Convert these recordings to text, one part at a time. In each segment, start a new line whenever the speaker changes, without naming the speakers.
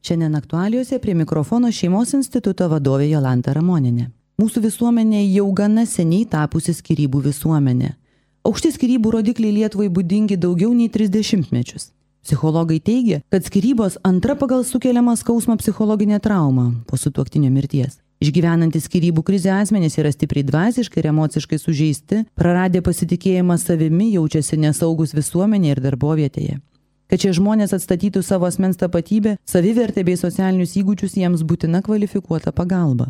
Šiandien aktualijose prie mikrofono Šeimos instituto vadovė Jolanta Ramonienė. Mūsų visuomenė jau gana seniai tapusi skyrybų visuomenė. Aukšti skyrybų rodikliai Lietuvai būdingi daugiau nei 30 mečius. Psichologai teigia, kad skyrybos antra pagal sukeliamą skausmą psichologinė trauma po sutuoktinio mirties. Išgyvenantys skyrybų krizę asmenys yra stipriai dvasiškai ir emociškai sužeisti, praradę pasitikėjimą savimi, jaučiasi nesaugus visuomenėje ir darbovietėje. Kad šie žmonės atstatytų savo asmens tapatybę, savivertę bei socialinius įgūdžius, jiems būtina kvalifikuota pagalba.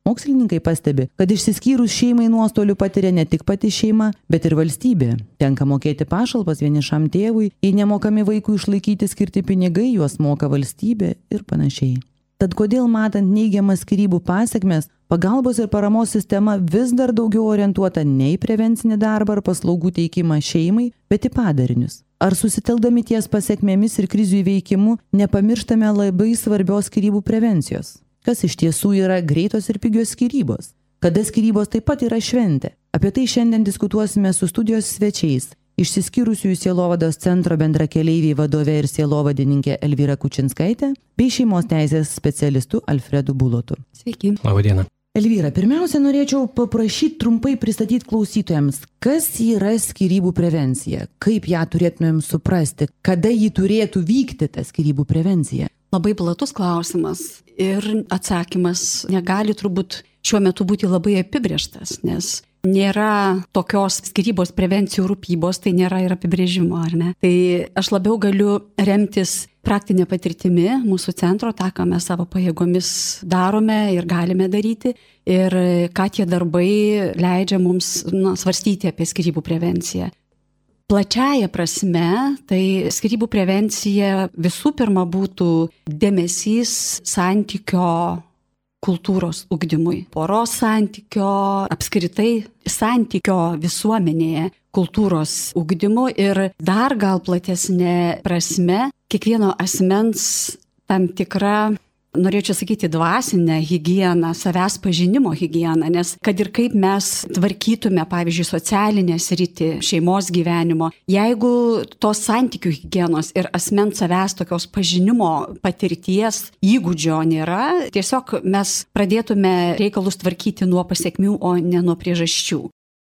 Mokslininkai pastebi, kad išsiskyrus šeimai nuostolių patiria ne tik pati šeima, bet ir valstybė. Tenka mokėti pašalpas vienišam tėvui, jei nemokami vaikui išlaikyti skirti pinigai, juos moka valstybė ir panašiai. Tad kodėl matant neigiamas skyrybų pasekmes, pagalbos ir paramos sistema vis dar daugiau orientuota ne į prevencinį darbą ar paslaugų teikimą šeimai, bet į padarinius? Ar susitelkdami ties pasekmėmis ir krizių įveikimu nepamirštame labai svarbios skyrybų prevencijos? Kas iš tiesų yra greitos ir pigios skyrybos? Kada skyrybos taip pat yra šventė? Apie tai šiandien diskutuosime su studijos svečiais. Išsiskyrusiųjų sielovados centro bendrakeleiviai vadove ir sielovadininkė Elvyra Kučinskaitė bei šeimos teisės specialistu Alfredu Bulotu.
Sveiki.
Labadiena.
Elvyra, pirmiausia, norėčiau paprašyti trumpai pristatyti klausytojams, kas yra skyrybų prevencija, kaip ją turėtumėm suprasti, kada ji turėtų vykti, ta skyrybų prevencija.
Labai platus klausimas ir atsakymas negali turbūt šiuo metu būti labai apibrėžtas, nes nėra tokios skyrybos prevencijų rūpybos, tai nėra ir apibrėžimo, ar ne? Tai aš labiau galiu remtis praktinė patirtimi mūsų centro, tą, ką mes savo pajėgomis darome ir galime daryti, ir ką tie darbai leidžia mums svarstyti apie skyrybų prevenciją. Plačiaja prasme, tai skyrybų prevencija visų pirma būtų dėmesys santykio kultūros ugdymui, poros santykio, apskritai santykio visuomenėje kultūros ugdymu ir dar gal platesnė prasme kiekvieno asmens tam tikra, norėčiau sakyti, dvasinę higieną, savęs pažinimo higieną, nes kad ir kaip mes tvarkytume, pavyzdžiui, socialinę sritį, šeimos gyvenimo, jeigu tos santykių higienos ir asmens savęs tokios pažinimo patirties įgūdžio nėra, tiesiog mes pradėtume reikalus tvarkyti nuo pasekmių, o ne nuo priežasčių.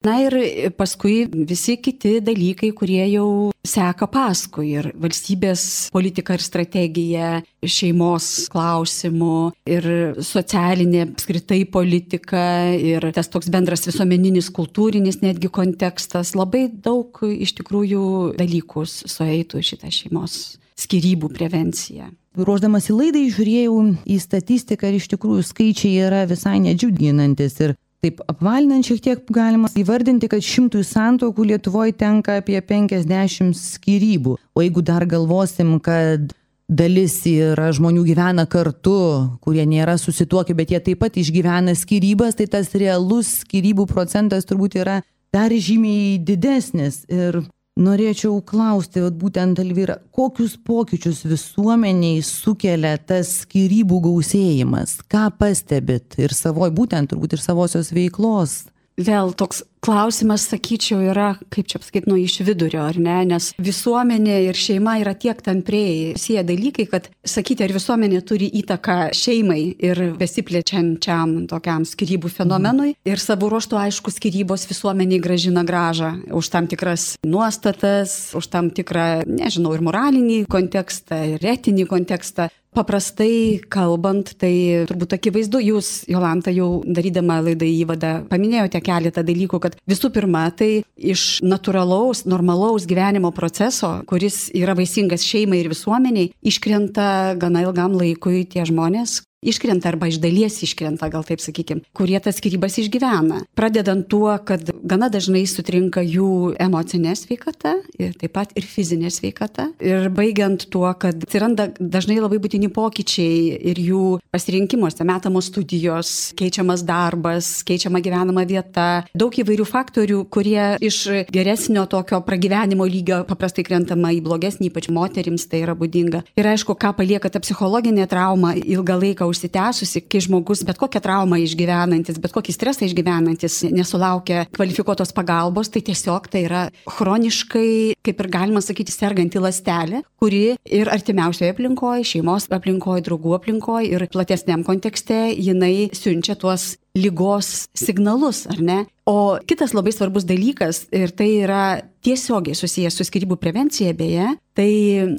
Na ir paskui visi kiti dalykai, kurie jau seka paskui ir valstybės politika ir strategija, šeimos klausimų ir socialinė apskritai politika ir tas toks bendras visuomeninis kultūrinis netgi kontekstas, labai daug iš tikrųjų dalykų sueitų šitą šeimos skyrybų prevenciją.
Ruošdamas į laidą žiūrėjau į statistiką ir iš tikrųjų skaičiai yra visai nedžiuginantis ir taip apvalinant šiek tiek galima įvardinti, kad 100 santuokų Lietuvoje tenka apie 50 skyrybų. O jeigu dar galvosim, kad dalis yra žmonių gyvena kartu, kurie nėra susituokę, bet jie taip pat išgyvena skyrybas, tai tas realus skyrybų procentas turbūt yra dar žymiai didesnis. Ir norėčiau klausti, būtent Elvyra, kokius pokyčius visuomeniai sukelia tas skyrybų gausėjimas? Ką pastebit ir būtent turbūt ir savosios veiklos?
Vėl toks klausimas, sakyčiau, yra, kaip čia pasakyti, iš vidurio, ar ne? Nes visuomenė ir šeima yra tiek tampriai sieję dalykai, kad sakyti, ar visuomenė turi įtaką šeimai ir besiplečiančiam tokiam skyrybų fenomenui. Ir savo ruožtu, aišku, skyrybos visuomeniai grąžina grąžą už tam tikras nuostatas, už tam tikrą, nežinau, ir moralinį kontekstą, ir etinį kontekstą. Paprastai kalbant, tai turbūt akivaizdu, jūs, Jolanta, jau darydama laidą įvadą, paminėjote keletą dalykų, kad visų pirma, tai iš natūralaus, normalaus gyvenimo proceso, kuris yra vaisingas šeimai ir visuomeniai, iškrenta gana ilgam laikui tie žmonės, iškrenta arba iš dalies iškrenta, gal taip sakykim, kurie tas skyrybas išgyvena. Pradedant tuo, kad gana dažnai sutrinka jų emocinė sveikata ir taip pat ir fizinė sveikata. Ir baigiant tuo, kad atsiranda dažnai labai būtini pokyčiai ir jų pasirinkimuose, metamos studijos, keičiamas darbas, keičiama gyvenama vieta, daug įvairių faktorių, kurie iš geresnio tokio pragyvenimo lygio paprastai krentama į blogesnį, ypač moterims tai yra būdinga. Ir aišku, ką palieka ta psichologinė trauma ilgą laiką užsitęsusi, kai žmogus bet kokią traumą išgyvenantis, bet kokį stresą išgyvenantis nesulaukia kvalifikuotos pagalbos, tai tiesiog tai yra chroniškai, kaip ir galima sakyti, serganti ląstelė, kuri ir artimiausioje aplinkoje, šeimos aplinkoje, draugų aplinkoje ir platesniam kontekste jinai siunčia tuos lygos signalus, ar ne? O kitas labai svarbus dalykas, ir tai yra tiesiogiai susijęs su skyrybų prevencija beje, tai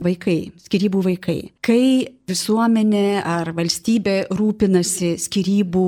vaikai, skyrybų vaikai. Kai visuomenė ar valstybė rūpinasi skyrybų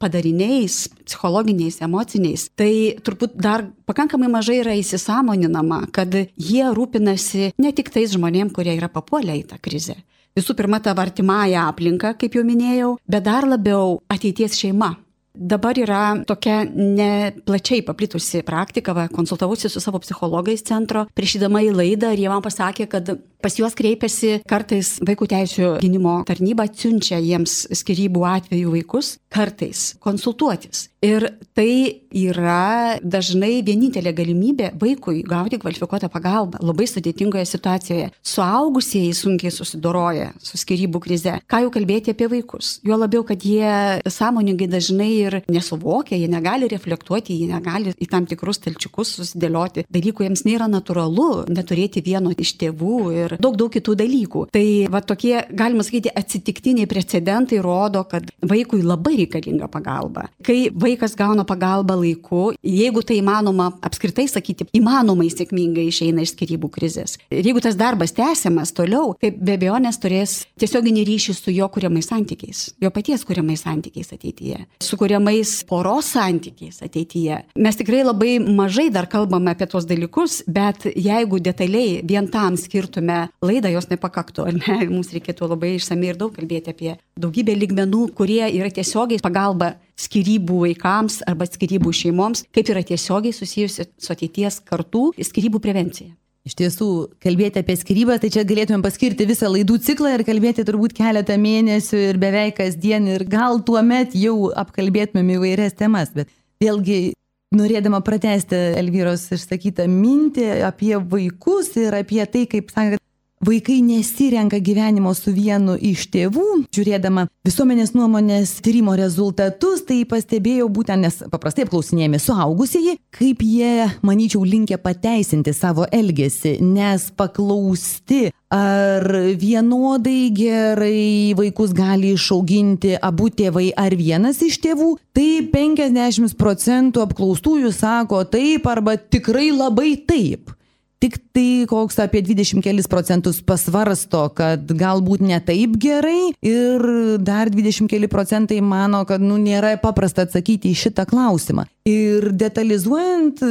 padariniais, psichologiniais, emociniais, tai turbūt dar pakankamai mažai yra įsisąmoninama, kad jie rūpinasi ne tik tais žmonėm, kurie yra papuolę į tą krizę. Visų pirma, ta artimąją aplinką, kaip jau minėjau, bet dar labiau ateities šeima. Dabar yra tokia neplačiai paplitusi praktika, konsultavusi su savo psichologais centro, priešydama į laidą ir jie man pasakė, kad pas juos kreipiasi kartais vaikų teisių gynimo tarnyba, atsiunčia jiems skyrybų atveju vaikus, kartais konsultuotis. Ir tai yra dažnai vienintelė galimybė vaikui gauti kvalifikuotą pagalbą labai sudėtingoje situacijoje. Suaugusieji sunkiai susidoroja su skyrybų krize. Ką jau kalbėti apie vaikus? Juo labiau, kad jie sąmoningai dažnai ir nesuvokia, jie negali reflektuoti, jie negali į tam tikrus stalčiukus susidėlioti. Dalykų jiems nėra natūralu neturėti vieno iš tėvų ir daug kitų dalykų. Tai va tokie, galima sakyti, atsitiktiniai precedentai rodo, kad vaikui labai reikalinga pagalba. Kai vaikas gauna pagalbą laiku, jeigu tai įmanoma apskritai sakyti, įmanomai sėkmingai išeina iš skyrybų krizės. Ir jeigu tas darbas tęsiamas toliau, tai be abejonės turės tiesioginį ryšį su jo kuriamais santykiais, jo paties kuriamais santykiais ateityje, su kuriamais poros santykiais ateityje. Mes tikrai labai mažai dar kalbame apie tuos dalykus, bet jeigu detaliai vien tam skirtume laidą, jos nepakaktų, ar ne? Mums reikėtų labai išsamiai ir daug kalbėti apie daugybę lygmenų, kurie yra tiesiogiai pagalba skyrybų vaikams arba skyrybų šeimoms, kaip yra tiesiogiai susijusi su ateities kartų skyrybų prevencija.
Iš tiesų, kalbėti apie skyrybą, tai čia galėtumėm paskirti visą laidų ciklą ir kalbėti turbūt keletą mėnesių ir beveik kasdien ir gal tuomet jau apkalbėtumėm įvairias temas, bet vėlgi norėdama pratęsti Elvyros išsakytą mintį apie vaikus ir apie tai, kaip sakė, vaikai nesirenka gyvenimo su vienu iš tėvų, žiūrėdama visuomenės nuomonės tyrimo rezultatus, tai pastebėjau būtent, nes paprastai apklausinėjami suaugusieji, kaip jie, manyčiau, linkę pateisinti savo elgesį, nes paklausti, ar vienodai gerai vaikus gali išauginti abu tėvai ar vienas iš tėvų, tai 50% apklaustųjų sako taip arba tikrai labai taip. Tik tai koks apie 20 kelis procentus pasvarsto, kad galbūt ne taip gerai ir dar 20 keli procentai mano, kad nėra paprasta atsakyti į šitą klausimą. Ir detalizuojant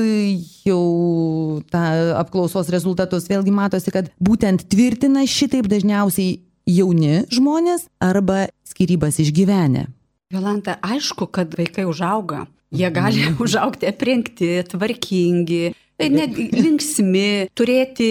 jau tą apklausos rezultatus, vėlgi matosi, kad būtent tvirtina šitaip dažniausiai jauni žmonės arba skyrybas išgyvenę.
Jolanta, aišku, kad vaikai užauga. Jie gali užaugti aprengti, tvarkingi, net linksmi, turėti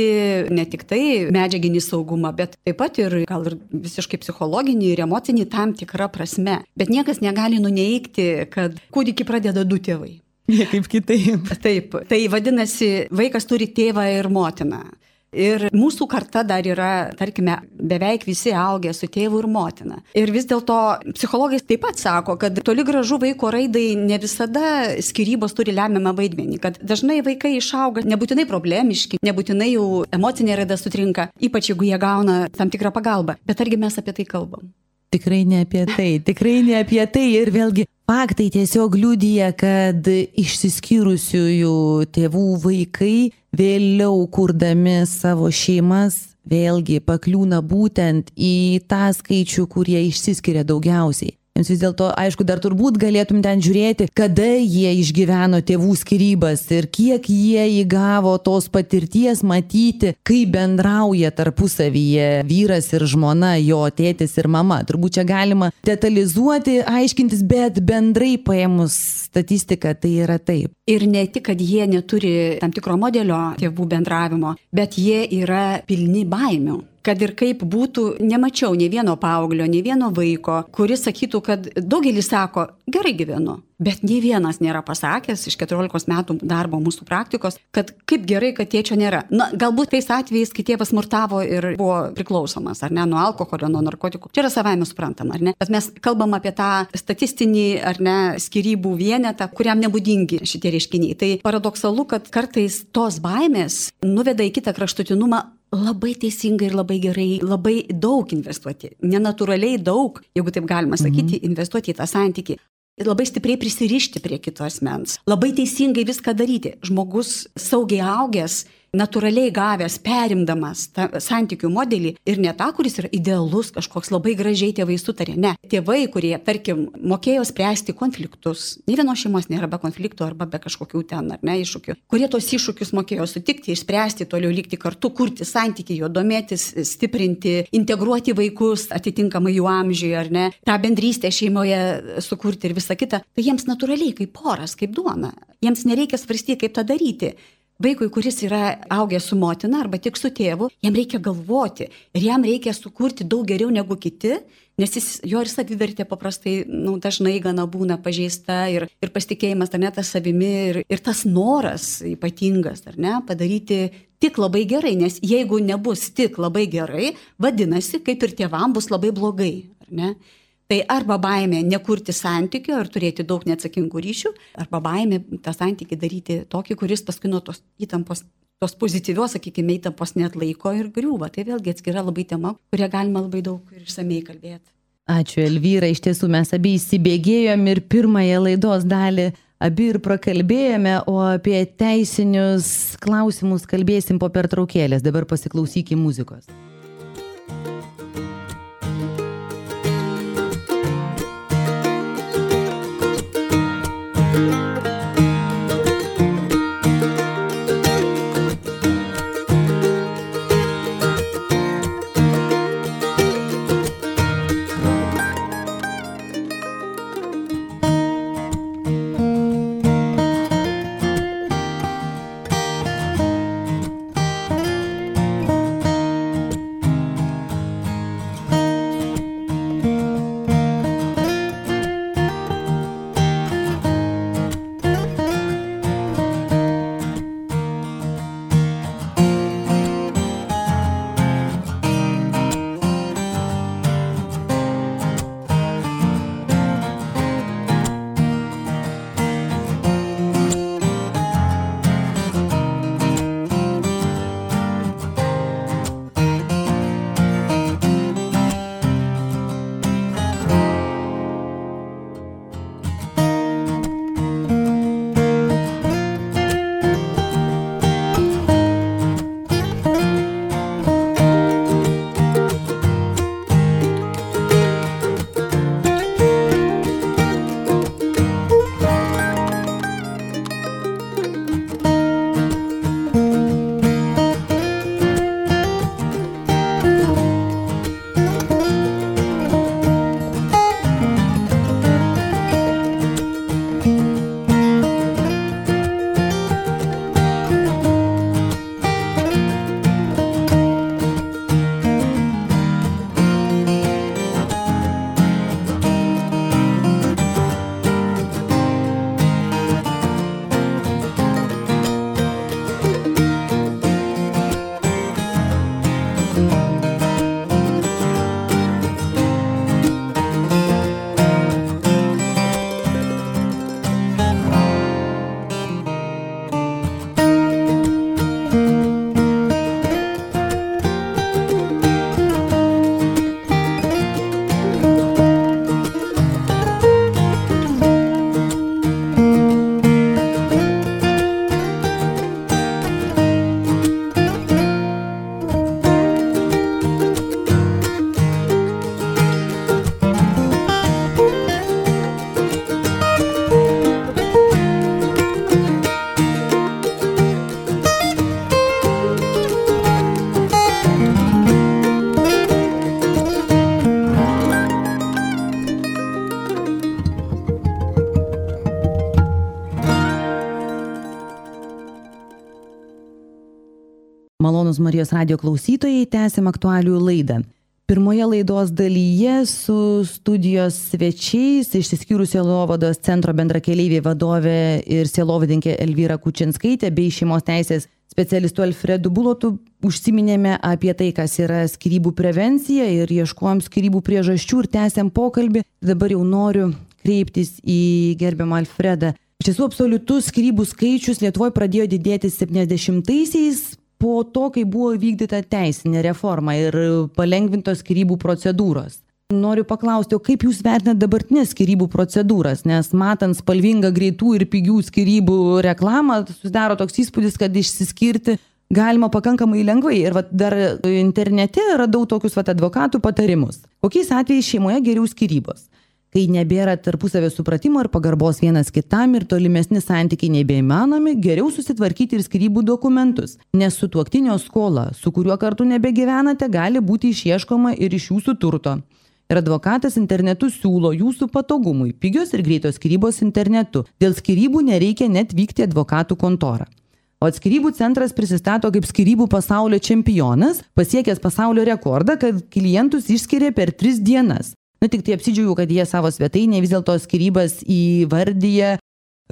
ne tik tai medžiaginį saugumą, bet taip pat ir gal ir visiškai psichologinį ir emocinį tam tikrą prasme. Bet niekas negali nuneigti, kad kūdikį pradeda du tėvai.
Niekaip kitaip.
Taip, tai vadinasi, vaikas turi tėvą ir motiną. Ir mūsų karta dar yra, tarkime, beveik visi augę su tėvu ir motina. Ir vis dėlto psichologai taip pat sako, kad toli gražu vaiko raidai ne visada skyrybos turi lemiamą vaidmenį, kad dažnai vaikai išauga nebūtinai problemiški, nebūtinai jų emocinė raida sutrinka, ypač jeigu jie gauna tam tikrą pagalbą. Bet argi mes apie tai kalbam?
Tikrai ne apie tai ir vėlgi faktai tiesiog liudija, kad išsiskyrusiųjų tėvų vaikai vėliau kurdami savo šeimas vėlgi pakliūna būtent į tą skaičių, kurie išsiskiria daugiausiai. Jums vis dėlto, aišku, dar turbūt galėtum ten žiūrėti, kada jie išgyveno tėvų skyrybas ir kiek jie įgavo tos patirties matyti, kaip bendrauja tarpusavyje vyras ir žmona, jo tėtis ir mama. Turbūt čia galima detalizuoti, aiškintis, bet bendrai paėmus statistiką tai yra taip.
Ir ne tik, kad jie neturi tam tikro modelio tėvų bendravimo, bet jie yra pilni baimių. kad ir kaip būtų, nemačiau nei vieno paauglio, nei vieno vaiko, kuris sakytų, kad daugelis sako, gerai gyvenu. Bet nei vienas nėra pasakęs iš 14 metų darbo mūsų praktikos, kad kaip gerai, kad tėčio nėra. Na, galbūt tais atvejais, kai tėvas smurtavo ir buvo priklausomas, ar ne, nuo alkoholio, nuo narkotikų. Čia yra savaime suprantama, ar ne? Bet mes kalbam apie tą statistinį, ar ne, skyrybų vienetą, kuriam nebūdingi šitie reiškiniai. Tai paradoksalu, kad kartais tos baimės nuveda į kitą kraštutinumą labai teisingai ir labai gerai, labai daug investuoti. Nenatūraliai daug, jeigu taip galima sakyti, investuoti į tą santykį. Labai stipriai prisirišti prie kito asmens. Labai teisingai viską daryti. Žmogus saugiai augęs, natūraliai gavęs, perimdamas tą santykių modelį ir ne tą, kuris yra idealus, kažkoks labai gražiai tėvai sutarė. Ne. Tėvai, kurie, tarkim, mokėjo spręsti konfliktus. Nė vienos šeimos nėra be konfliktų arba be kažkokių ten, ar ne, iššūkių. Kurie tos iššūkius mokėjo sutikti, išspręsti, toliau likti kartu, kurti santykį, jo domėtis, stiprinti, integruoti vaikus atitinkamai jų amžiui, ar ne, tą bendrystę šeimoje sukurti ir visą kitą. Tai jiems natūraliai, kaip poras, kaip duona. Jiems nereikia svarstyti, kaip tą daryti. Vaikui, kuris yra augęs su motina arba tik su tėvu, jam reikia galvoti ir jam reikia sukurti daug geriau negu kiti, nes jo ir savivertė paprastai dažnai gana būna pažeista ir pasitikėjimas, ar ne, tas savimi ir tas noras ypatingas, ar ne, padaryti tik labai gerai, nes jeigu nebus tik labai gerai, vadinasi, kaip ir tėvam bus labai blogai, ar ne? Tai arba baimė nekurti santykio ir turėti daug neatsakingų ryšių, arba baimė tą santykį daryti tokį, kuris paskui nuo tos įtampos, tos pozityvios, sakykime, įtampos neatlaiko ir griūva. Tai vėlgi atskira labai tema, kurią galima labai daug ir išsamei kalbėti.
Ačiū, Elvyra. Iš tiesų mes abi įsibėgėjom ir pirmąją laidos dalį abi ir prakalbėjome, o apie teisinius klausimus kalbėsim po pertraukėlės. Dabar pasiklausykim muzikos. Malonūs Marijos radijo klausytojai, tęsiam aktualių laidą. Pirmoje laidos dalyje su studijos svečiais išsiskyrus Sielovados centro bendrakeleiviai vadovė ir sielovadininkė Elvyra Kučinskaitė bei šeimos teisės specialistu Alfredu Bulotu užsiminėme apie tai, kas yra skyrybų prevencija ir ieškojom skyrybų priežasčių ir tęsiam pokalbį. Dabar jau noriu kreiptis į gerbiamą Alfredą. Iš tiesų, absoliutus skyrybų skaičius Lietuvoje pradėjo didėti 70-aisiais po to, kai buvo vykdyta teisinė reforma ir palengvintos skyrybų procedūros. Noriu paklausti, o kaip jūs vertinate dabartinės skyrybų procedūras, nes matant spalvingą greitų ir pigių skyrybų reklamą, susidaro toks įspūdis, kad išsiskirti galima pakankamai lengvai. Ir dar internete radau tokius advokatų patarimus. Kokiais atvejais šeimoje geriau skyrybos? Kai nebėra tarpusavio supratimo ir pagarbos vienas kitam ir tolimesni santykiai nebeįmanomi, geriau susitvarkyti ir skyrybų dokumentus, nes sutuoktinio skola, su kuriuo kartu nebegyvenate, gali būti išieškoma ir iš jūsų turto. Ir advokatas internetu siūlo jūsų patogumui pigios ir greitos skyrybos internetu. Dėl skyrybų nereikia net vykti advokatų kontorą. O skyrybų centras prisistato kaip skyrybų pasaulio čempionas, pasiekęs pasaulio rekordą, kad klientus išskiria per 3 dienas. Tik tai apsidžiaugiu, kad jie savo svetainėje vis dėlto skyrybas įvardyja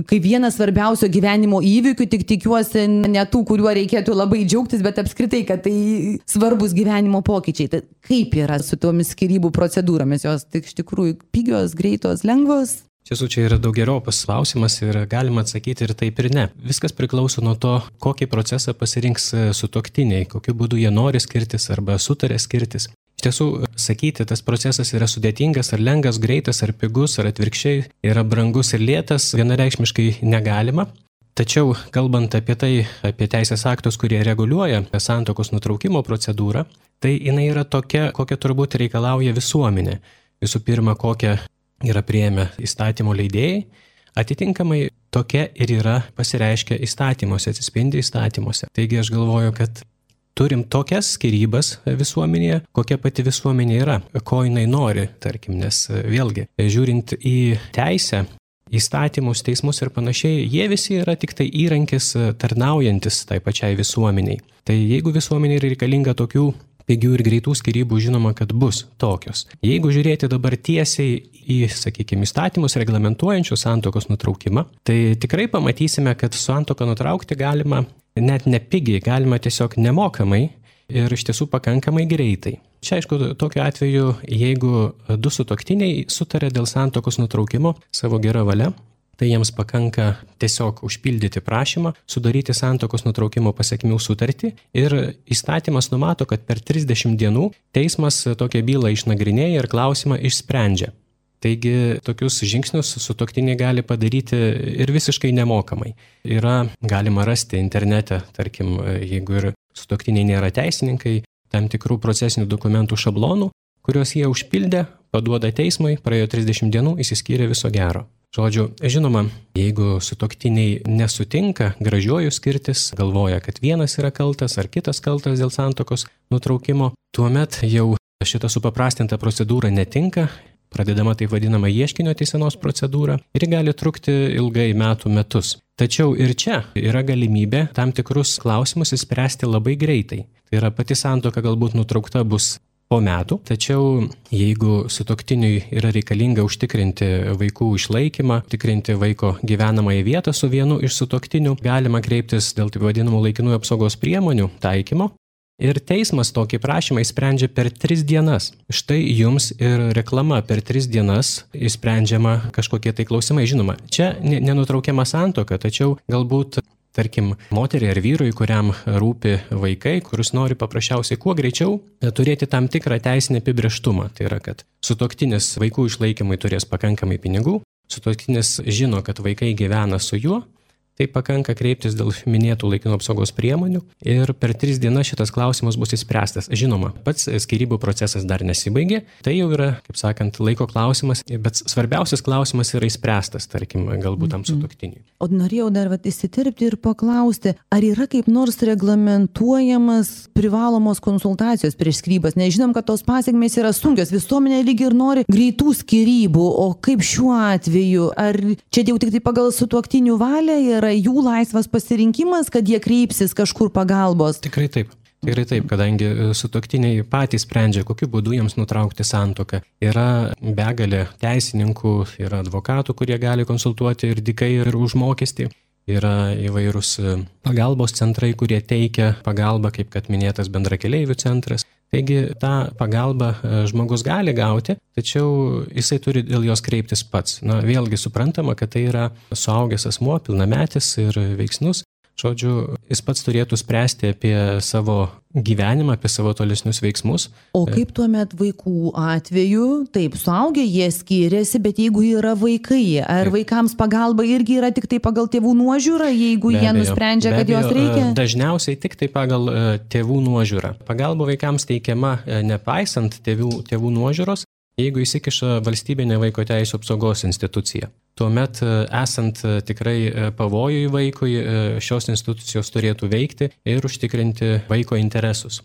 kaip vienas svarbiausio gyvenimo įvykių, tik tikiuosi ne tų, kuriuo reikėtų labai džiaugtis, bet apskritai, kad tai svarbus gyvenimo pokyčiai. Tai kaip yra su tomis skyrybų procedūromis? Jos tik iš tikrųjų pigios, greitos, lengvos?
Tiesų, čia yra daugeriopas klausimas ir galima atsakyti ir taip ir ne. Viskas priklauso nuo to, kokį procesą pasirinks sutuoktiniai, kokiu būdu jie nori skirtis arba sutarė skirtis. Iš tiesų, sakyti, tas procesas yra sudėtingas, ar lengvas, greitas, ar pigus, ar atvirkščiai, yra brangus ir lėtas, vienareikšmiškai negalima. Tačiau, kalbant apie tai, apie teisės aktus, kurie reguliuoja santuokos nutraukimo procedūrą, tai jinai yra tokia, kokia turbūt reikalauja visuomenė. Visų pirma, kokią yra priėmę įstatymo leidėjai, atitinkamai tokia ir yra pasireiškia įstatymuose, atsispindi įstatymuose. Taigi aš galvoju, kad turim tokias skyrybas visuomenėje, kokia pati visuomenė yra, ko jinai nori, tarkim, nes vėlgi, žiūrint į teisę, įstatymus, teismus ir panašiai, jie visi yra tik tai įrankis tarnaujantis tai pačiai visuomeniai. Tai jeigu visuomenė yra reikalinga tokių pigių ir greitų skyrybų, žinoma, kad bus tokios. Jeigu žiūrėti dabar tiesiai į, sakykime, įstatymus reglamentuojančius santuokos nutraukimą, tai tikrai pamatysime, kad santuoką nutraukti galima net nepigiai, galima tiesiog nemokamai ir iš tiesų pakankamai greitai. Čia, aišku, tokiu atveju, jeigu 2 sutuoktiniai sutarė dėl santuokos nutraukimo savo gerą valią, tai jiems pakanka tiesiog užpildyti prašymą, sudaryti santuokos nutraukimo pasekmių sutartį ir įstatymas numato, kad per 30 dienų teismas tokią bylą išnagrinėja ir klausimą išsprendžia. Taigi tokius žingsnius sutuoktiniai gali padaryti ir visiškai nemokamai. Galima rasti internete, tarkim, jeigu ir sutuoktiniai nėra teisininkai, tam tikrų procesinių dokumentų šablonų, kuriuos jie užpildė, paduoda teismui, praėjo 30 dienų, išsiskyrė viso gero. Žodžiu, žinoma, jeigu sutuoktiniai nesutinka gražiuoju skirtis, galvoja, kad vienas yra kaltas ar kitas kaltas dėl santuokos nutraukimo, tuomet jau šita supaprastinta procedūra netinka, pradedama taip vadinama ieškinio teisenos procedūra ir gali trukti ilgai metus. Tačiau ir čia yra galimybė tam tikrus klausimus išspręsti labai greitai. Tai yra pati santuoka galbūt nutraukta bus po metų, tačiau jeigu sutuoktiniui yra reikalinga užtikrinti vaikų išlaikymą, užtikrinti vaiko gyvenamąją vietą su vienu iš sutuoktinių, galima kreiptis dėl taip vadinamų laikinųjų apsaugos priemonių taikymo. Ir teismas tokį prašymą įsprendžia per 3 dienas. Štai jums ir reklama per 3 dienas įsprendžiama kažkokie tai klausimai. Žinoma, čia nenutraukiama santuoka, tačiau galbūt, tarkim, moteriai ar vyrui, kuriam rūpi vaikai, kuris nori paprasčiausiai kuo greičiau turėti tam tikrą teisinį apibrėžtumą. Tai yra, kad sutuoktinis vaikų išlaikymui turės pakankamai pinigų, sutuoktinis žino, kad vaikai gyvena su juo, tai pakanka kreiptis dėl minėtų laikinų apsaugos priemonių ir per 3 dienas šitas klausimas bus išspręstas. Žinoma, pats skyrybų procesas dar nesibaigė, tai jau yra, kaip sakant, laiko klausimas, bet svarbiausias klausimas yra išspręstas, tarkim, galbūt tam sutuoktiniui.
O norėjau dar įsiterpti ir paklausti, ar yra kaip nors reglamentuojamas privalomos konsultacijos prieš skyrybas? Nežinom, kad tos pasekmės yra sunkios, visuomenė lyg ir nori greitų skyrybų, o kaip šiuo atveju? Ar čia jau tik tai pagal sutuoktinių valią yra jų laisvas pasirinkimas, kad jie kreipsis kažkur pagalbos?
Tikrai taip. Tikrai taip, kadangi sutuoktiniai patys sprendžia, kokiu būdu jiems nutraukti santuoką. Yra begalė teisininkų, yra advokatų, kurie gali konsultuoti ir dykai, ir už mokestį. Yra įvairūs pagalbos centrai, kurie teikia pagalbą, kaip kad minėtas bendrakeleivių centras. Taigi tą pagalbą žmogus gali gauti, tačiau jisai turi dėl jos kreiptis pats. Vėlgi suprantama, kad tai yra suaugęs asmuo, pilnametis ir veiksnus. Žodžiu, jis pats turėtų spręsti apie savo gyvenimą, apie savo tolesnius veiksmus.
O kaip tuomet vaikų atveju? Taip, suaugę jie skiriasi, bet jeigu yra vaikai, ar vaikams pagalba irgi yra tik tai pagal tėvų nuožiūrą, jeigu jie nusprendžia, kad jos reikia?
Dažniausiai tik tai pagal tėvų nuožiūrą. Pagalba vaikams teikiama nepaisant tėvų nuožiūros, jeigu įsikiša valstybinė vaiko teisių apsaugos institucija. Tuomet, esant tikrai pavojui vaikui, šios institucijos turėtų veikti ir užtikrinti vaiko interesus.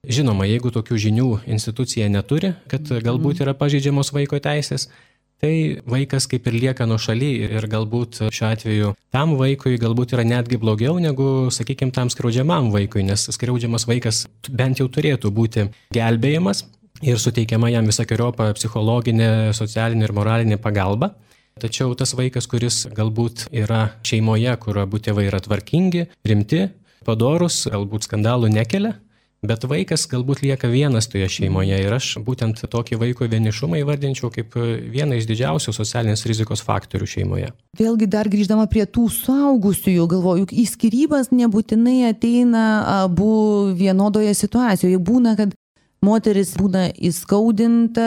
Žinoma, jeigu tokių žinių institucija neturi, kad galbūt yra pažeidžiamos vaiko teisės, tai vaikas kaip ir lieka nuošaly ir galbūt šiuo atveju tam vaikui galbūt yra netgi blogiau negu, sakykime, tam skriaudžiamam vaikui, nes skriaudžiamas vaikas bent jau turėtų būti gelbėjimas ir suteikiama jam visokeriopą psichologinę, socialinę ir moralinę pagalbą. Tačiau tas vaikas, kuris galbūt yra šeimoje, kur abu tėvai yra tvarkingi, rimti, padorūs, galbūt skandalų nekelia, bet vaikas galbūt lieka vienas toje šeimoje ir aš būtent tokį vaiko vienišumą įvardinčiau kaip vieną iš didžiausių socialinės rizikos faktorių šeimoje.
Vėlgi dar grįždama prie tų suaugusiųjų, galvoju, juk į skyrybas nebūtinai ateina abu vienodoje situacijoje. Būna, kad moteris būna įskaudinta,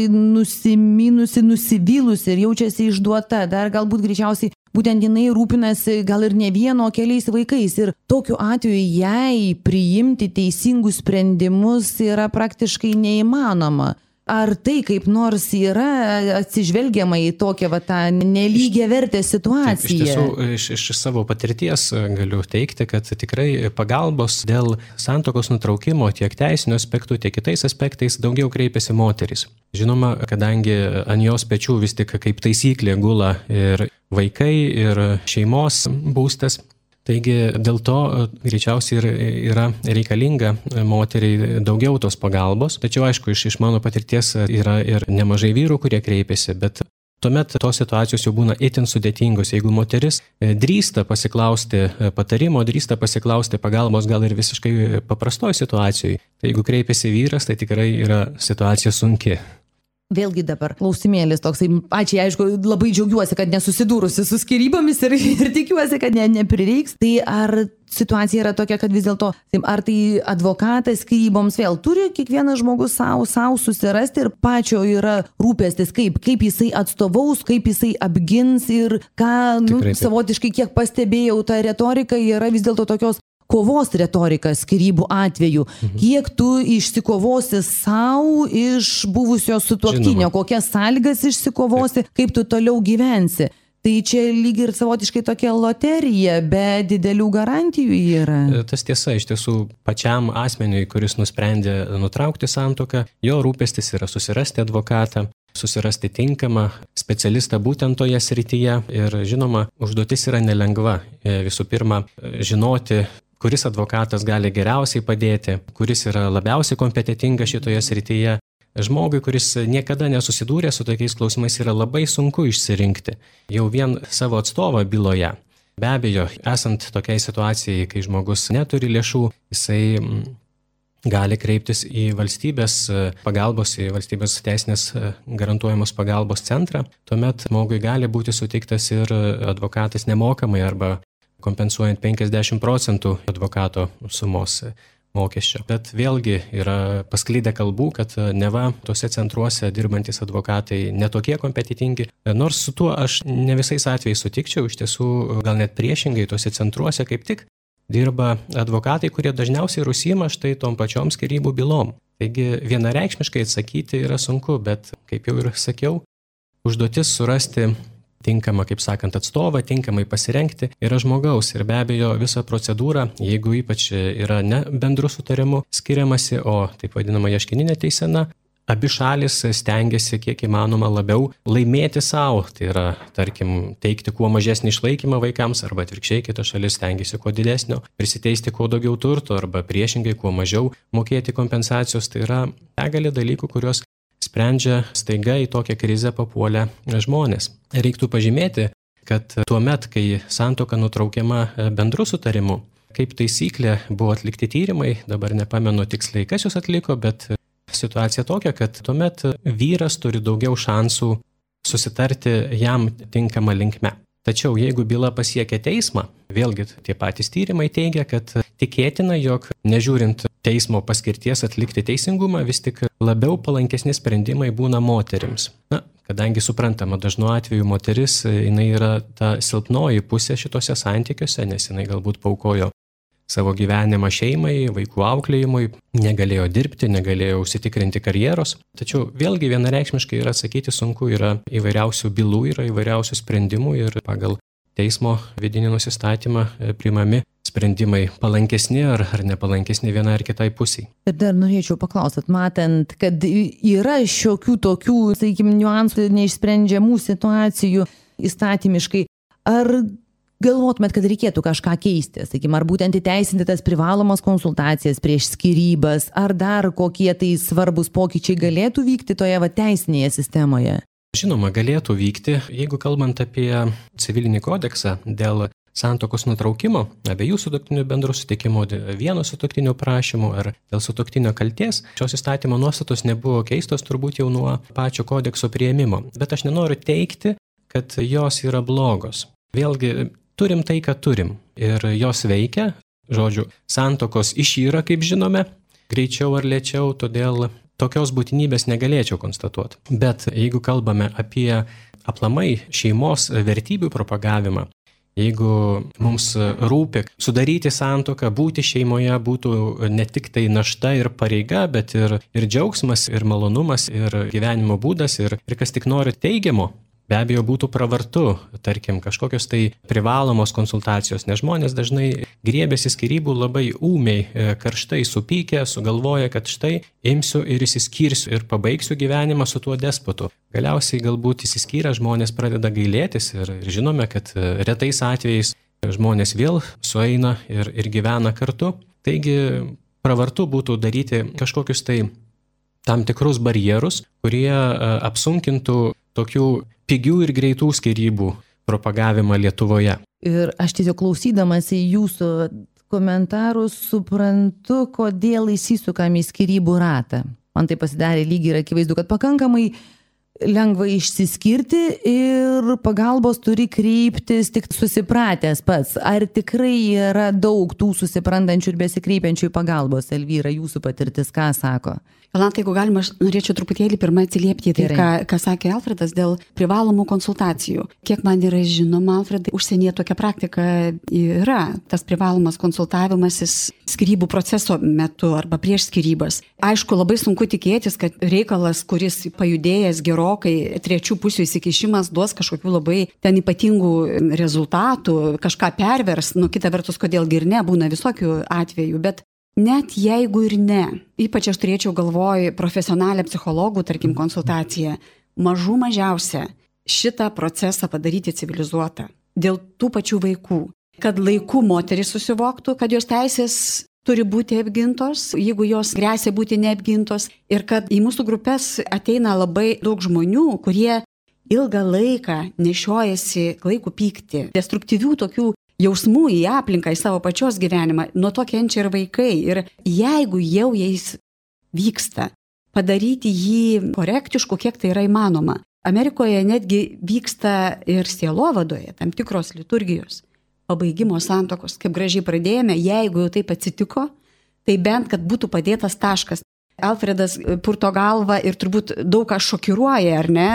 nusiminusi, nusivylusi ir jaučiasi išduota. Dar galbūt greičiausiai būtent jinai rūpinasi gal ir ne vieno, keliais vaikais. Ir tokiu atveju jai priimti teisingus sprendimus yra praktiškai neįmanoma. Ar tai kaip nors yra atsižvelgiama į tokią tą nelygiavertę situaciją?
Iš tiesų, iš savo patirties galiu teikti, kad tikrai pagalbos dėl santuokos nutraukimo tiek teisinių aspektų, tiek kitais aspektais daugiau kreipiasi moterys. Žinoma, kadangi ant jos pečių vis tik kaip taisyklė gula ir vaikai, ir šeimos būstas. Taigi dėl to greičiausiai yra reikalinga moteriai daugiau tos pagalbos, tačiau aišku, iš mano patirties yra ir nemažai vyrų, kurie kreipiasi, bet tuomet tos situacijos jau būna itin sudėtingos. Jeigu moteris drįsta pasiklausti patarimo, drįsta pasiklausti pagalbos gal ir visiškai paprastoj situacijoj, tai jeigu kreipiasi vyras, tai tikrai yra situacija sunki.
Vėlgi dabar klausimėlis toksai, ačiū, aišku, labai džiaugiuosi, kad nesusidūrusi su skyrybomis ir tikiuosi, kad neprireiks. Tai ar situacija yra tokia, kad vis dėlto, ar tai advokatas skyryboms vėl turi kiekvienas žmogus savo susirasti ir pačio yra rūpestis, kaip jisai atstovaus, kaip jisai apgins ir ką, savotiškai kiek pastebėjau, ta retorika yra vis dėlto tokios kovos retorika skyrybų atveju. Kiek tu išsikovosi savo iš buvusio sutuoktinio, kokias sąlygas išsikovosi, kaip tu toliau gyvensi. Tai čia lyg ir savotiškai tokia loterija, be didelių garantijų yra.
Tas tiesa, iš tiesų pačiam asmeniui, kuris nusprendė nutraukti santuoką, jo rūpestis yra susirasti advokatą, susirasti tinkamą specialistą būtent toje srityje ir žinoma, užduotis yra nelengva. Visų pirma, žinoti, kuris advokatas gali geriausiai padėti, kuris yra labiausiai kompetentingas šitoje srityje. Žmogui, kuris niekada nesusidūrė su tokiais klausimais, yra labai sunku išsirinkti jau vien savo atstovą byloje. Be abejo, esant tokiai situacijai, kai žmogus neturi lėšų, jisai gali kreiptis į valstybės pagalbos, į valstybės teisinės garantuojamos pagalbos centrą. Tuomet žmogui gali būti suteiktas ir advokatas nemokamai arba kompensuojant 50% advokato sumos mokesčio. Bet vėlgi yra pasklydę kalbų, kad neva tose centruose dirbantis advokatai netokie kompetentingi. Nors su tuo aš ne visais atvejais sutikčiau, iš tiesų gal net priešingai tose centruose kaip tik dirba advokatai, kurie dažniausiai užsiima štai tom pačiom skyrybų bylom. Taigi vienareikšmiškai atsakyti yra sunku, bet kaip jau ir sakiau, užduotis surasti tinkamą, kaip sakant, atstovą, tinkamai pasirengti yra žmogaus ir be abejo visa procedūra, jeigu ypač yra ne bendru sutarimu skiriamasi, o taip vadinama ieškininė teisena, abi šalis stengiasi kiek įmanoma labiau laimėti savo. Tai yra, tarkim, teikti kuo mažesnį išlaikymą vaikams, arba atvirkščiai kita šalis stengiasi kuo didesnio, prisiteisti kuo daugiau turto, arba priešingai kuo mažiau mokėti kompensacijos. Tai yra begalė dalykų, kurios sprendžia staiga į tokią krizę papuolę žmonės. Reiktų pažymėti, kad tuo met, kai santuoka nutraukiama bendru sutarimu, kaip taisyklė buvo atlikti tyrimai, dabar nepamenu tiksliai, kas jūs atliko, bet situacija tokia, kad tuomet vyras turi daugiau šansų susitarti jam tinkamą linkme. Tačiau jeigu byla pasiekia teismą, vėlgi tie patys tyrimai teigia, kad tikėtina, jog nežiūrint teismo paskirties atlikti teisingumą, vis tik labiau palankesni sprendimai būna moterims. Kadangi suprantama, dažnu atveju moteris, jinai yra ta silpnoji pusė šitose santykiuose, nes jinai galbūt paukojo savo gyvenimą šeimai, vaikų auklėjimui, negalėjo dirbti, negalėjo užsitikrinti karjeros. Tačiau vėlgi vienareikšmiškai yra atsakyti sunku, yra įvairiausių bylų, yra įvairiausių sprendimų ir pagal teismo vidinį nusistatymą priimami sprendimai palankesni ar nepalankesni vienai ar kitai pusiai.
Ir dar norėčiau paklausyti, matant, kad yra šiokių tokių, sakykime, niuansų, neišsprendžiamų situacijų įstatymiškai, ar galvotumėt, kad reikėtų kažką keisti, sakykime, ar būtent įteisinti tas privalomas konsultacijas prieš skyrybas, ar dar kokie tai svarbus pokyčiai galėtų vykti toje teisinėje sistemoje?
Žinoma, galėtų vykti, jeigu kalbant apie civilinį kodeksą dėl santuokos nutraukimo, abiejų sutuoktinių bendro sutikimo, vieno sutuoktinio prašymų ar dėl sutuoktinio kaltės, šios įstatymo nuostatos nebuvo keistos turbūt jau nuo pačio kodekso priėmimo. Bet aš nenoriu teigti, kad jos yra blogos. Vėlgi, turim tai, ką turim ir jos veikia, žodžiu, santuokos išyra, kaip žinome, greičiau ar lėčiau, todėl tokios būtinybės negalėčiau konstatuoti. Bet jeigu kalbame apie aplamai šeimos vertybių propagavimą, jeigu mums rūpi sudaryti santuoką, būti šeimoje būtų ne tik tai našta ir pareiga, bet ir džiaugsmas, ir malonumas, ir gyvenimo būdas, ir kas tik nori teigiamo, be abejo būtų pravartu, tarkim, kažkokios tai privalomos konsultacijos, nes žmonės dažnai griebėsi skyrybų labai ūmiai, karštai supykę, sugalvoja, kad štai imsiu ir išsiskirsiu ir pabaigsiu gyvenimą su tuo despotu. Galiausiai galbūt išsiskyrę žmonės pradeda gailėtis ir žinome, kad retais atvejais žmonės vėl sueina ir gyvena kartu. Taigi pravartu būtų daryti kažkokius tai tam tikrus barjerus, kurie apsunkintų tokių pigių ir greitų skyrybų propagavimą Lietuvoje.
Ir aš tiesiog klausydamas į jūsų komentarus suprantu, kodėl įsisukame į skyrybų ratą. Man tai pasidarė lygiai ir akivaizdu, kad pakankamai lengva išsiskirti ir pagalbos turi kreiptis tik susipratęs pats. Ar tikrai yra daug tų susiprantančių ir besikreipiančių pagalbos? Elvyra, jūsų patirtis ką sako?
Jolanta, jeigu galima, aš norėčiau truputėlį pirmą atsiliepti tai, ką sakė Alfredas dėl privalomų konsultacijų. Kiek man yra žinoma, Alfredai, užsienyje tokia praktika yra. Tas privalomas konsultavimasis skyrybų proceso metu arba prieš skyrybas. Aišku, labai sunku tikėtis, kad reikalas, kuris pajudėjęs gerokai, trečių pusių įsikišimas duos kažkokių labai ten ypatingų rezultatų, kažką pervers, kita vertus, kodėlgi ir ne, būna visokių atvejų, bet net jeigu ir ne, ypač aš turėčiau galvoj profesionalią psichologų, tarkim, konsultaciją, mažiausia šitą procesą padaryti civilizuotą. Dėl tų pačių vaikų. Kad laiku moteris susivoktų, kad jos teisės turi būti apgintos, jeigu jos gresia būti neapgintos. Ir kad į mūsų grupės ateina labai daug žmonių, kurie ilgą laiką nešiojasi klaikų pyktį, destruktyvių tokių jausmų į aplinką, į savo pačios gyvenimą, nuo to kenčia ir vaikai. Ir jeigu jau jais vyksta, padaryti jį korektišku, kiek tai yra įmanoma. Amerikoje netgi vyksta ir sielovadoje tam tikros liturgijos, pabaigimo santuokos, kaip gražiai pradėjome, jeigu jau taip atsitiko, tai bent, kad būtų padėtas taškas. Alfredas purto galvą ir turbūt daug ką šokiruoja, ar ne?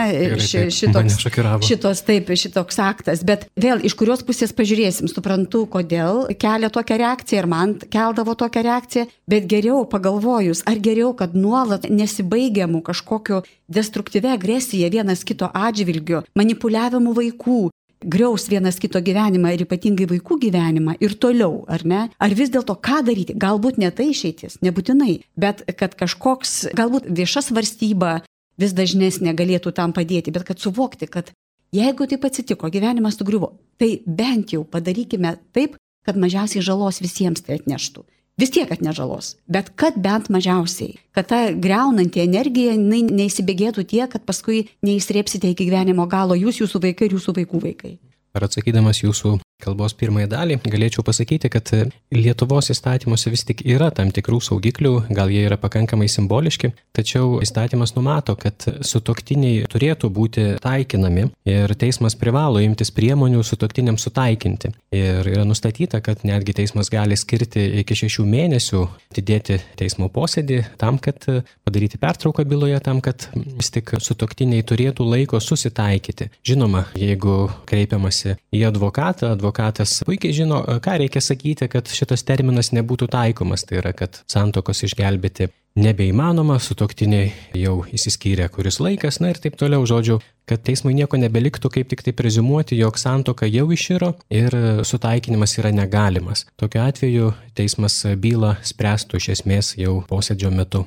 Šitoks aktas. Bet vėl, iš kurios pusės pažiūrėsim, suprantu, kodėl kelia tokią reakciją ir man keldavo tokią reakciją, bet geriau pagalvojus, ar geriau, kad nuolat nesibaigiamų kažkokio destruktyvia agresija vienas kito atžvilgiu, manipuliavimu vaikų, griaus vienas kito gyvenimą ir ypatingai vaikų gyvenimą ir toliau, ar ne? Ar vis dėlto ką daryti? Galbūt ne tai išeitis, nebūtinai, bet kad kažkoks, galbūt vieša svarstyba vis dažnesnė galėtų tam padėti, bet kad suvokti, kad jeigu taip atsitiko, gyvenimas sugriuvo, tai bent jau padarykime taip, kad mažiausiai žalos visiems tai atneštų. Vis tiek atneš žalos, bet kad bent mažiausiai, kad ta greunanti energija neįsibėgėtų tiek, kad paskui neįsrėpsite iki gyvenimo galo jūs, jūsų vaikai ir jūsų vaikų vaikai.
Ar atsakydamas jūsų kalbos pirmąją dalį, galėčiau pasakyti, kad Lietuvos įstatymuose vis tik yra tam tikrų saugiklių, gal jie yra pakankamai simboliški, tačiau įstatymas numato, kad sutuoktiniai turėtų būti taikinami ir teismas privalo imtis priemonių sutuoktiniams sutaikinti. Ir yra nustatyta, kad netgi teismas gali skirti iki 6 mėnesių atidėti teismo posėdį tam, kad padaryti pertrauką byloje, tam, kad vis tik sutuoktiniai turėtų laiko susitaikyti. Žinoma, jeigu kreipiamasi į advokatą, advokatas puikiai žino, ką reikia sakyti, kad šitas terminas nebūtų taikomas. Tai yra, kad santuokos išgelbėti nebeįmanoma, sutuoktiniai jau išsiskyrė kuris laikas, na ir taip toliau, žodžiu, kad teismui nieko nebeliktų, kaip tik tai preziumuoti, jog santuoka jau iširo ir sutaikinimas yra negalimas. Tokiu atveju teismas bylą spręstų iš esmės jau posėdžio metu.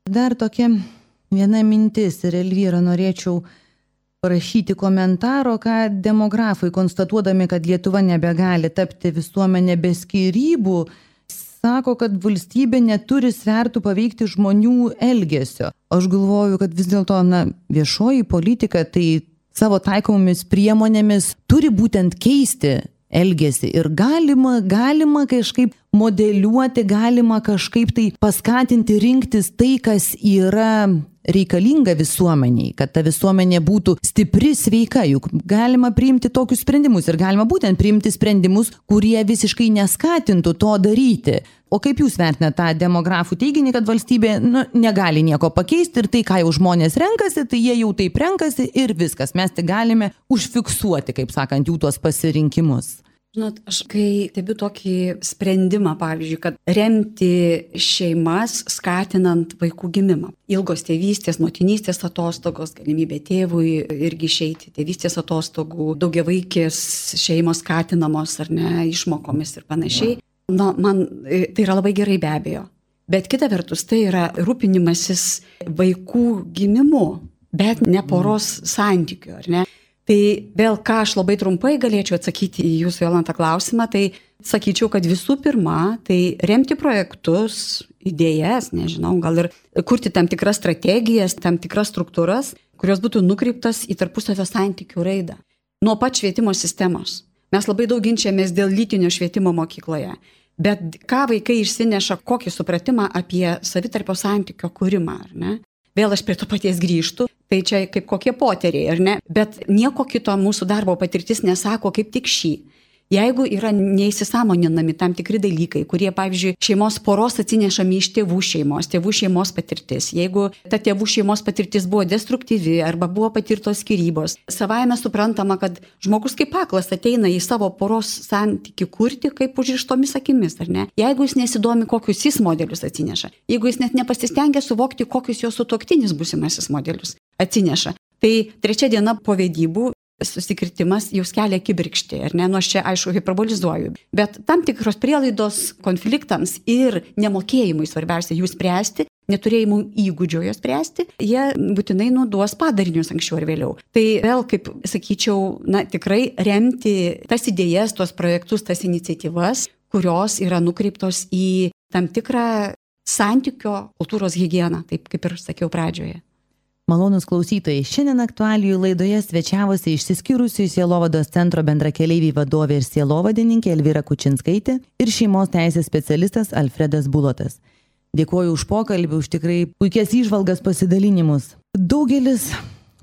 Dar tokia viena mintis ir Elvyra norėčiau parašyti komentaro, ką demografai, konstatuodami, kad Lietuva nebegali tapti visuomenė be skyrybų, sako, kad valstybė neturi svertų paveikti žmonių elgesio. Aš galvoju, kad vis dėlto viešoji politika tai savo taikomomis priemonėmis turi būtent keisti elgesį ir galima kažkaip modeliuoti, galima kažkaip tai paskatinti rinktis tai, kas yra reikalinga visuomeniai, kad ta visuomenė būtų stipri, sveika, juk galima priimti tokius sprendimus ir galima būtent priimti sprendimus, kurie visiškai neskatintų to daryti. O kaip jūs vertinate tą demografų teiginį, kad valstybė negali nieko pakeisti ir tai, ką jau žmonės renkasi, tai jie jau taip renkasi ir viskas. Mes tik galime užfiksuoti, kaip sakant, jų tuos pasirinkimus.
Žinot, aš kai stebiu tokį sprendimą, pavyzdžiui, kad remti šeimas skatinant vaikų gimimą. Ilgos tėvystės, motinystės atostogos, galimybė tėvui irgi išeiti, tėvystės atostogų, daugiavaikės šeimos skatinamos ar ne, išmokomis ir panašiai. Man tai yra labai gerai be abejo. Bet kita vertus, tai yra rūpinimasis vaikų gimimu, bet ne poros santykių, ar ne? Tai vėl, ką aš labai trumpai galėčiau atsakyti į jūsų, Jolanta, klausimą, tai sakyčiau, kad visų pirma, tai remti projektus, idėjas, nežinau, gal ir kurti tam tikras strategijas, tam tikras struktūras, kurios būtų nukreiptas į tarpusavio santykių raidą. Nuo pat švietimo sistemos. Mes labai daug ginčiamės dėl lytinio švietimo mokykloje. Bet ką vaikai išsineša, kokį supratimą apie savitarpio santykio kūrimą, ar ne? Vėl aš prie to paties grįžtu, tai čia kaip kokie poteriai, ar ne? Bet nieko kito mūsų darbo patirtis nesako kaip tik šį. Jeigu yra neįsisąmoninami tam tikri dalykai, kurie, pavyzdžiui, šeimos poros atsinešami iš tėvų šeimos patirtis, jeigu ta tėvų šeimos patirtis buvo destruktyvi arba buvo patirtos skyrybos, savaime suprantama, kad žmogus kaip aklas ateina į savo poros santykį kurti kaip užrištomis akimis, ar ne? Jeigu jis nesidomi, kokius jis modelius atsineša, jeigu jis net nepasistengia suvokti, kokius jo sutuoktinis būsimasis modelius atsineša, tai 3 diena po vedybų susikritimas jau kelia kibirkštį, ar ne? Nu, aš čia, aišku, hiperbolizuoju. Bet tam tikros prielaidos konfliktams ir nemokėjimui svarbiausia jų spręsti, neturėjimų įgūdžio jos spręsti, jie būtinai duos padarinius anksčiau ar vėliau. Tai vėl, kaip sakyčiau, tikrai remti tas idėjas, tuos projektus, tas iniciatyvas, kurios yra nukreiptos į tam tikrą santykio kultūros higieną, taip kaip ir sakiau pradžioje.
Malonūs klausytojai, šiandien aktualijų laidoje svečiavosi išsiskyrusių Sielovados centro bendrakeleivį vadovė ir sielovadininkė Elvyra Kučinskaitė ir šeimos teisės specialistas Alfredas Bulotas. Dėkuoju už pokalbį, už tikrai puikias įžvalgas, pasidalinimus. Daugelis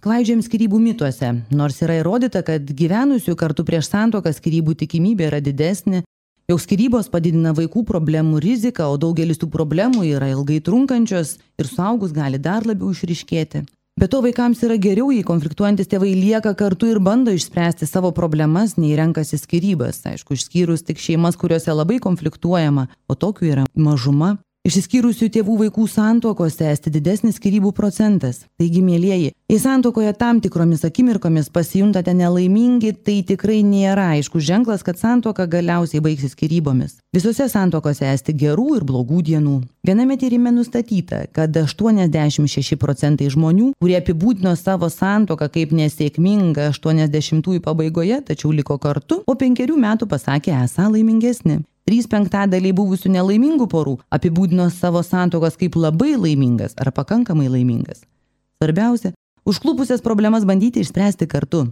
klaidžiam skyrybų mituose, nors yra įrodyta, kad gyvenusių kartu prieš santuoką skyrybų tikimybė yra didesnė, jog skyrybos padidina vaikų problemų riziką, o daugelis tų problemų yra ilgai trunkančios ir suaugus gali dar labiau išryškėti. Be to vaikams yra geriau, jei konfliktuojantis tėvai lieka kartu ir bando išspręsti savo problemas, nei renkasi skyrybas. Aišku, išskyrus tik šeimas, kuriuose labai konfliktuojama, o tokių yra mažuma. Išsiskyrusių tėvų vaikų santuokose esti didesnis skyrybų procentas. Taigi, mielieji, jei santuokoje tam tikromis akimirkomis pasijuntate nelaimingi, tai tikrai nėra aiškus ženklas, kad santuoka galiausiai baigsis skyrybomis. Visose santuokose esti gerų ir blogų dienų. Viename tyrime nustatyta, kad 86% žmonių, kurie apibūdino savo santuoką kaip nesėkmingą 80-ųjų pabaigoje, tačiau liko kartu, po 5 metų pasakė esą laimingesni. 3/5 buvusių nelaimingų porų apibūdino savo santuokas kaip labai laimingas ar pakankamai laimingas. Svarbiausia, užklupusias problemas bandyti išspręsti kartu,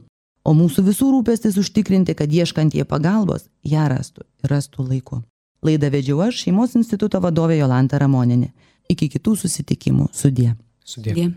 o mūsų visų rūpestis užtikrinti, kad ieškantie pagalbos ją rastų laiku. Laidą vedžiau aš, Šeimos instituto vadovė Jolanta Ramonienė. Iki kitų susitikimų. Sudie.
Sudie.